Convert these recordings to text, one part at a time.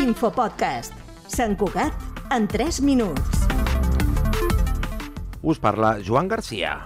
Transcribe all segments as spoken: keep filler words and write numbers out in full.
Infopodcast. Sant Cugat en tres minuts. Us parla Joan Garcia.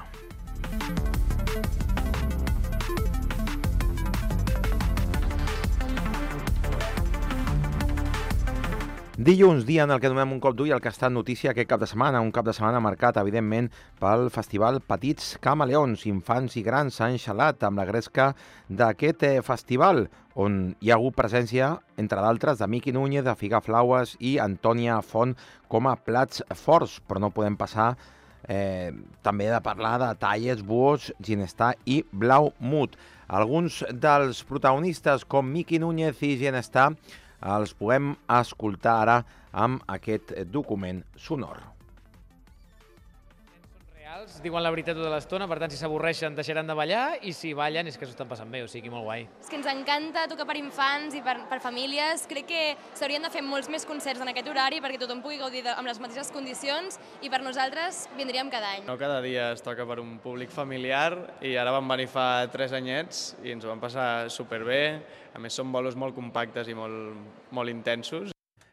Dilluns, dia en el que donem un cop d'ull al que ha estat notícia aquest cap de setmana, un cap de setmana marcat, evidentment, pel festival Petits Camaleons. Infants i grans s'han xalat amb la gresca d'aquest eh, festival, on hi ha hagut presència, entre d'altres, de Miqui Núñez, de Figaflaues i Antònia Font com a plats forts, però no podem passar eh, també de parlar de Talles, Buos, Ginestar i Blaumut. Alguns dels protagonistes, com Miqui Núñez i Ginestar, els podem escoltar ara amb aquest document sonor. Són reals, diuen la veritat tota l'estona, per tant, si s'avorreixen deixaran de ballar i si ballen és que s'ho estan passant bé, o sigui, molt guai. És que ens encanta tocar per infants i per, per famílies. Crec que s'haurien de fer molts més concerts en aquest horari perquè tothom pugui gaudir de, amb les mateixes condicions i per nosaltres vindríem cada any. No cada dia es toca per un públic familiar i ara vam venir fa tres anyets i ens ho vam passar superbé. A més, són bolos molt compactes i molt, molt intensos.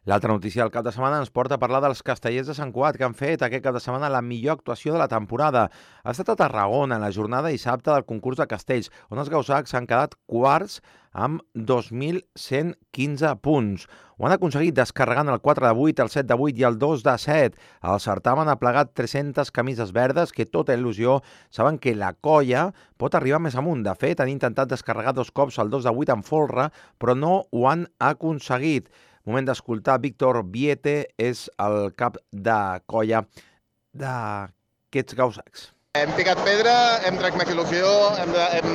L'altra notícia del cap de setmana ens porta a parlar dels castellers de Sant Cugat, que han fet aquest cap de setmana la millor actuació de la temporada. Ha estat a Tarragona, en la jornada dissabte del concurs de castells, on els gausacs s'han quedat quarts amb dos mil cent quinze punts. Ho han aconseguit descarregant el quatre de vuit, el set de vuit i el dos de set. El certamen ha plegat tres-centes camises verdes que, tota il·lusió, saben que la colla pot arribar més amunt. De fet, han intentat descarregar dos cops el dos de vuit en folre, però no ho han aconseguit. Moment d'escoltar Víctor Viete, és el cap de colla d'aquests gausacs. Hem picat pedra, hem tractat més il·lusió, hem, de, hem,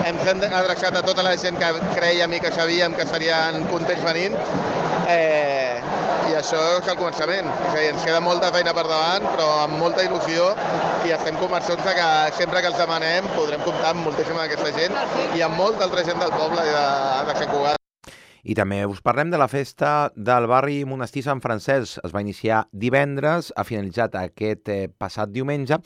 hem, hem adreçat a tota la gent que creiem i que sabíem que estarien contents venint, eh, i això és el començament. O sigui, ens queda molta feina per davant, però amb molta il·lusió, i estem convençuts que sempre que els demanem podrem comptar amb moltíssima d'aquesta gent i amb molta altra gent del poble de, de Sant Cugat. I també us parlem de la festa del barri Monestir Sant Francesc. Es va iniciar divendres, ha finalitzat aquest eh, passat diumenge,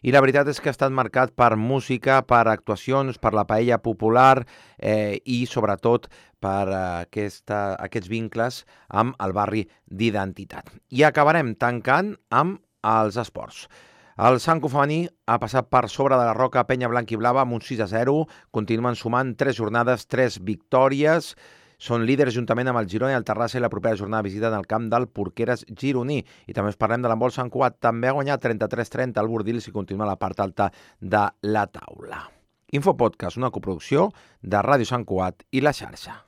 i la veritat és que ha estat marcat per música, per actuacions, per la paella popular eh, i sobretot per eh, aquesta, aquests vincles amb el barri d'identitat. I acabarem tancant amb els esports. El Sanco femení ha passat per sobre de la Roca Penya Blanca i Blava amb un sis a zero, continuen sumant tres jornades, tres victòries. Són líders juntament amb el Girona i el Terrassa, i la propera jornada visita en el camp del Porqueres gironí. I també us parlem de l'handbol Sant Cugat. També ha guanyat trenta-tres trenta el Bordils i continua a la part alta de la taula. Infopodcast, una coproducció de Ràdio Sant Cugat i La Xarxa.